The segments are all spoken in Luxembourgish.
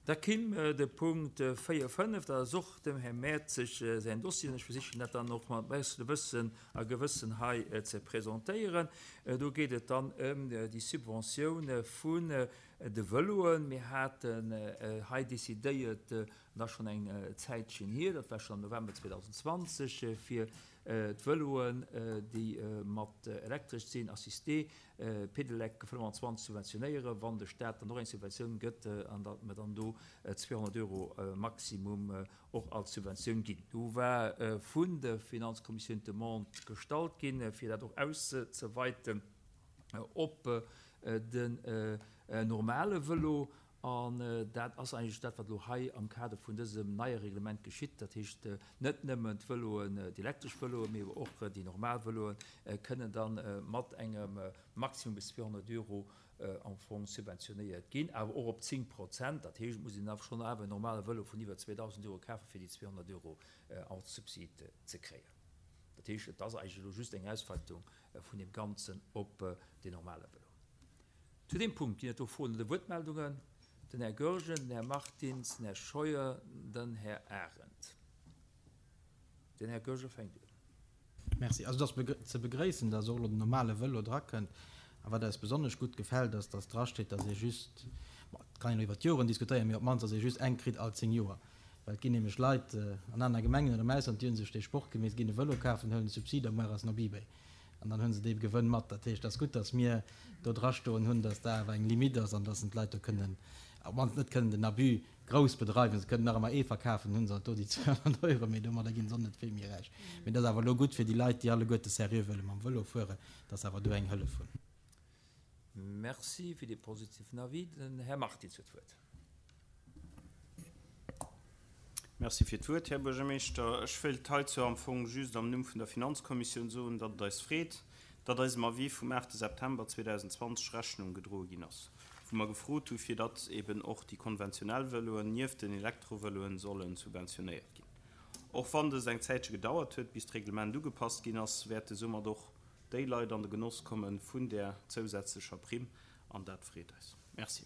Da kimm de Punkt 4, 5, dat ass och dem Här Mertzig säin Dossier, an ech versichen dat dann och mat bestem Wëssen a Gewëssen hei ze presentéieren. Do geet et dann ëm déi Subventioun vun de Vëloen. Mir haten hei decidéiert, an dat ass schonn eng Zäitchen hier, dat war schonn am November 2020, fir d'Vëloen, déi mat elektresch sinn, assisté, Pedelec 25 subventionéieren, wann de Staat dann och eng Subventioun gëtt, an datt mer dann do 200 Euro maximum och als Subventioun ginn. Do war vun der Finanzkommissioun d'Demande gestallt ginn, fir dat och auszeweiten op den normale Vëlo. An dat ass eigentlech dat, wat elo hei am Kader vun dësem neie Reglement geschitt. Dat heescht, net nëmmen d'Vëloen, déi elektresch Vëloen, mee awer och déi normal Vëloen kënnen da mat engem Maximum bis 200 Euro am Fong subventionéiert ginn, awer och op 10 Prozent. Dat heescht, et muss een awer schonn awer en normale Vëlo vun iwwer 2.000 Euro kafen, fir déi 200 Euro als Subsid ze kréien. Dat heescht, et ass eigentlech elo just eng Ausweitung vun deem Ganzen op deen normale Vëlo. Zu deem Punkt ginn et do Froen oder Wuertmeldungen? Den Här Goergen, den Här Martins, den Här Scheuer, den Här Arendt. Den Här Goergen fänkt un. Merci. Also et ass ze begréissen, dass och elo den normale Vëlo drakënnt. A wat eis besonnesch gutt gefält, ass, dass drasteet, dass ee just, bon, et kann een elo iwwer d'Joren diskutéieren, mee op d'mannst, dass ee just eng kritt all 10 Joer. Well et ginn nämlech Leit an aner Gemengen oder am Ausland, déi hu sech dee Sport gemeet, ginn e Vëlo kafen, huelen de Subsid a muer ass en op Ebay. An dann hu se dee Gewënn mat. Dat heescht, et ass gutt, datt mir do drastoen hunn, datt dat awer eng Limite ass an datt en d'Leit do kënnen, op d'mannst net kënnen den Abus grouss bedreiwen. Se kënnen nach ëmmer ee verkafen, hunn se alt do déi 200 Euro, mee domadder ginn se och net vill méi räich. Mee et ass awer elo gutt fir déi Leit, déi alleguerte seriö wëlle mam Vëlo fueren, datt se awer do eng Hëllef hunn. Merci fir dee positiven Avis. Den Här Martins huet d'Wuert. Merci fir d'Wuert, Här Buergermeeschter. Ech wéilt heizou am Fong just am Numm vun der Finanzkommissioun soen, datt et eis freet, datt eisem Avis vum 8 September 2020 Rechnung gedroe ginn ass, wou mer gefrot hu fir datt eben och déi konventionell Vëloen nieft den Elektrovëloen solle subventionéiert ginn. Och wann dëst eng Zäitche gedauert huet, bis d'Reglement ugepasst ginn ass, wäerte soumat och déi Leit an de Genoss komme vun där zousätzlecher Primm, an dat freet eis. Merci.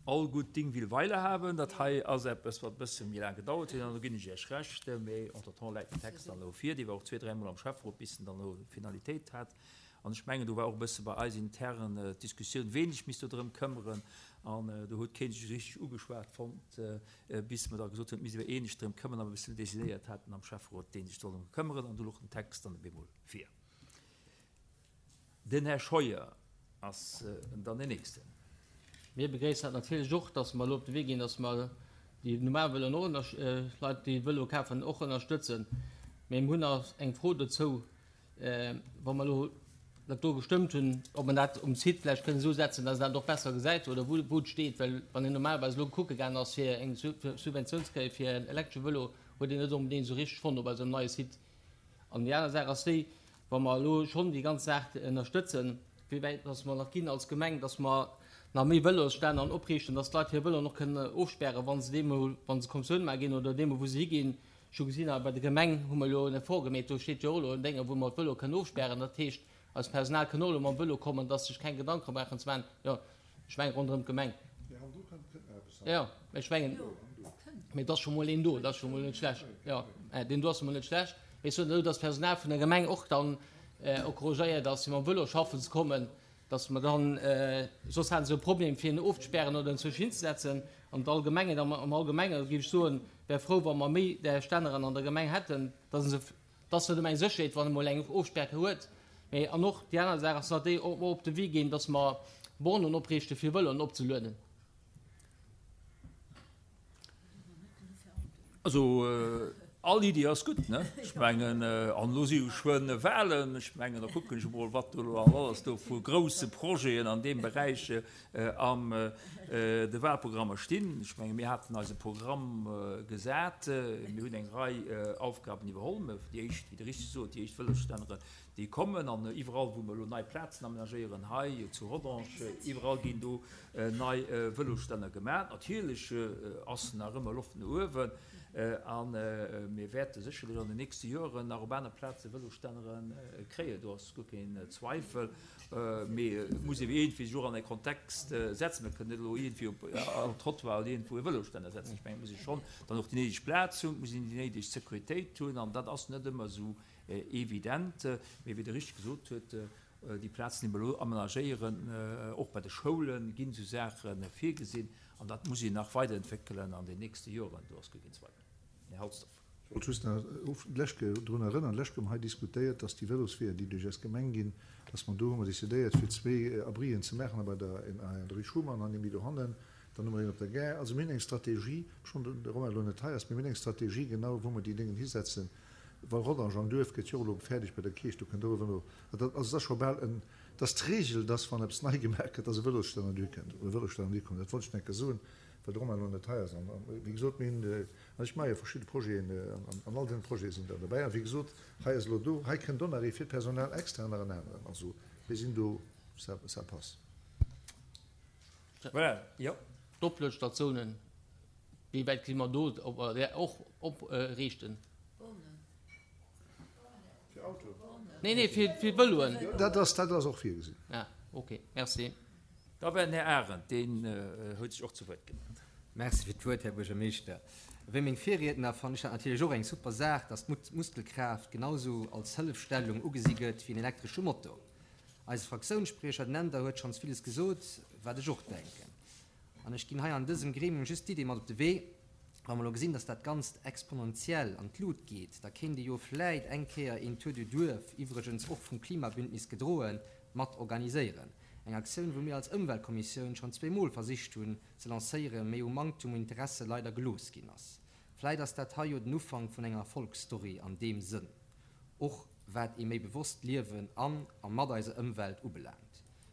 All gut Ding will Weile haben. Dat hei ass eppes, wat e bësse méi laang gedauert huet, an do ginn ech Iech Recht. Mee entretemps läit den Text dann elo vir. Dee war och zwee, dräimol am Schäfferot, bis en dann elo Finalitéit hat. An ech mengen, do war och e bësse bei eis intern d'Diskussioun, ween sech misst do drëm këmmeren. An do huet kee sech richteg ugeschwat fonnt, bis mer da gesot hunn, et misst awer ee sech drëm këmmeren, a mer e bëssen decidéiert haten am Schäfferot, dee sech soll drëm këmmeren. An do louch den Text dann op eemol vir. Den Här Scheuer ass dann deen Nächsten. Mir begréissen dat natierlech och, dass mer elo op de Wee ginn, dass mer déi normal Vëloen och ënner, Leit, déi Vëlo kafen, och ënnerstëtzen. Mee mir hunn nach eng Fro dozou, Wa mer elo dat do gestëmmt hunn, ob mer dat um Site vläicht kënnen esou setzen, dass een dat och besser gesäit oder wou et steet. Well wann een normalerweis elo kucke gaangen ass, fir eng Subventioun ze kréie fir en elektresche Vëlo, huet een net onbedéngt esou richteg fonnt op eisem neie Site. An déi aner Saach ass déi, Wa mer elo schonn déi ganz Saach ënnerstëtzen, wéi wäit dass mer nach ginn als Gemeng, dass mer nach méi Vëlosstänner opriichten, dass d'Leit hir Vëloen och kënnen ofspären, wa se deemol, wa se Kommissioun maache ginn oder deemol, wou se higinn. Ech hu gesinn, bei der Gemeng hu mer elo en Effort gemeet, do steet jo och elo en Dénge, wou mer d'Vëloe kënnen ofspären. Dat heescht, eist Personal kënn och elo mam Vëlo kommen, dass sech keng Gedanke brauchen ze maachen. Jo, ech mengen ronderëm d'Gemeng. Jo, ech mengen, mee et ass scho mol een do, dat ass scho mol net schlecht. Jo, deen do ass scho mol net schlecht. Mee ech soen elo, dass d'Personal vun der Gemeng och dann encouragéiert ass, fir mam Vëlo schaffen ze kommen, dass mer dann, soss haten se e Problem, fir en ofzespären oder en zwësch hinzesetzen. An d'Allgemengheet am Allgemenge géif ech soen, wär frou, wa mer méi där Stänneren an der Gemeng hätten, dass se Et ass net ëmmer eng Sécherheet, wann e mol eng Ofspärke huet. Mee, an och déi aner Saach ass nach déi, ob mer op de Wee ginn, dass mer Bornen opriichte fir Vëloen opzelueden. Also all Iddi ass gutt, ne? Ech mengen, an elo si jo geschwënn Wahlen, ech mengen, da kucken ech emol, wat do elo alles do vu grousse Projeten an deem Beräich am de Wahlprogrammer stinn. Ech menge mir haten eise Programm gesat, mir hunn eng Rei Aufgaben iwwerholl. Déi éischt, wéi Der richteg sot, déi éischt Vëlosstännere, déi kommen an iwwerall wou mer elo nei Plazen amenagéieren, hei zu Rodange, iwwerall ginn do nei Vëlosstänner gemaach. Natierlech ass nach ëmmer Loft no uewen. A mir wäerte sécherlech an den nächste Joren nach op aner Plaze Vëlosstännere kréien, do ass guer keen Zweifel. Mee et muss ee iergendwéi sech och an e Kontext setzen. Mir kënnen net elo iergendwéi op all Trottoir oder iergendwou e Vëlosstänner setzen. Ech mengen, et muss ee schonn dann och déi néideg Plaz hunn, et muss een déi néideg Sécuritéit hunn an dat ass net ëmmer esou evident. Mee wéi Der richteg gesot hutt, déi Plazen, déi mer elo amenagéieren, och bei de Schoule ginn esou Saache virgesinn an dat muss een nach weiderentwéckelen an den nächste Joren, do ass guer keen Zweifel. Här Halsdorf. Ech wollt just nach lech drun erënnern, lech hu mer hei diskutéiert, dass déi Vélosweeër, déi duerch eis Gemeng ginn, dass mer do hu mer décidéiert, fir zwee Abrien ze maachen, bei der een an der Rue Schuman an ee méi dohannen, dann hu mer een op der Gare. Also mir hunn eng Strategie, obschonn de Romain elo net hei ass, mee mir hunn eng Strategie genau, wou mer déi Déngen hisetzen. Well Rodange am Duerf gëtt jo och elo fäerdeg bei der Kierch, do kënnt och e Vëlo. Also dat ass scho bal en, et ass d'Regel, dass wann eppes nei gemaach gëtt, dass e Vélosstänner duerkënnt oder e Vélosstänner duerkommt. Dat wollt ech nach eng Kéier soen, well de Romain elo net hei ass. An wéi gesot, mir hunn An ech maache jo verschidde Projeten an all deene Projete sinn der derbäi. A wéi gesot, hei ass elo do, hei kënnt och nach ee fir d'Personal extra nach en aneren. Also mir sinn do, ça, ça passe. Voilà, jo. D'Opluedstatiounen, wéi wäit kënne mer do och opriichten? Fir Autoen? Nee, nee, fir Vëloen. Dat ass, dat ass och virgesinn. Ah, okay, merci. Da war den Här Arendt, deen huet sech och zu Wuert gemellt. Merci fir d'Wuert, Här Buergermeeschter. Wéi meng Virriedner fannen ech dat natierlech och eng super Saach, dass d'Muskelkraaft genausou als Hëllefstellung ugesi gëtt wéi en elektresche Motor. Eise Fraktiounsspriecher, den Änder, huet schonns villes gesot, wat ech och denken. An ech ginn hei an dësem Gremium just d'Idee mat op de Wee, Wa mer elo gesinn, dass dat Ganzt exponentiell an d'Lut geet, da kéint ee jo vläit eng Kéier een Tour du Duerf, iwwregens och vum Klimabündnis gedroen, mat organiséieren. Eng Aktioun, wou mir als Ëmweltkommissioun schonn zweemol versicht hunn ze lancéieren, mee u Manktum un Interesse leider gelooss ginn ass. Vläit ass dat hei jo den Ufank vun enger Erfolgsstory an deem Sënn, och wat ee méi bewosst Liewen an a mat eiser Ëmwelt ubelaangt.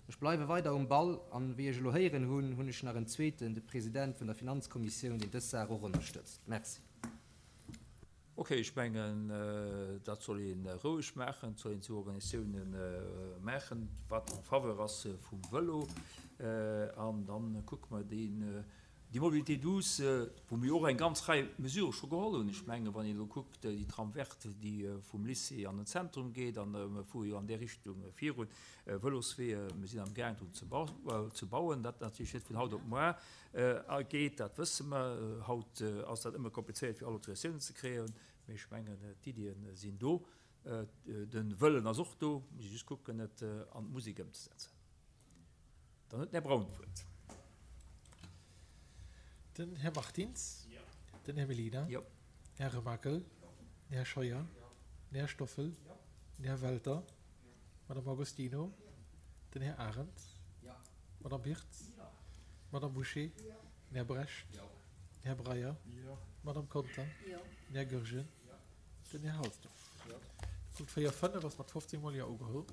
Ech bleiwe weider um Ball an, wéi ech elo héieren hunn, hunn ech nach en zweeten, de President vun der Finanzkommissioun, deen dës Saach och ënnerstëtzt. Merci. Ok, ech mengen, dat soll ee roueg maachen, dat soll een esou Organisatiounen maachen, wat en faveur ass vum Vëlo. An da kucke mer déi Déi Mobilité douce, wou mir och eng ganz Rei Mesurë scho geholl hunn, ech mengen, wann een elo kuckt, déi Tram verte, déi vum Lycée an den Zentrum geet, an mir fuere jo an där Richtung virun, Vëlosweeër, mir sinn amgaang drun ze bauen, dat natierlech net vun haut op muar geet, dat wësse mer. Haut ass dat ëmmer komplizéiert, fir all Autorisatiounen ze kréien, mee ech mengen, d'Iddien sinn do, de Wëllen ass och do, muss ee just kucken, et an d'Musek ëmzesetzen. Dann huet den Här Braun d'Wuert. Den Här Martins. Den Här Mellina. Den Här Remakel. Den Här Scheuer. Den Här Stoffel. Den Här Welter. D'Madame Agostino. Den Här Arendt. D'Madame Birtz. D'Madame Bouché. Den Här Brecht. Den Här Breyer. D'Madame Conter. Den Här Goergen. Den Här Halsdorf. De Punkt 4, 5 ass mat 15 mol Jo ugeholl.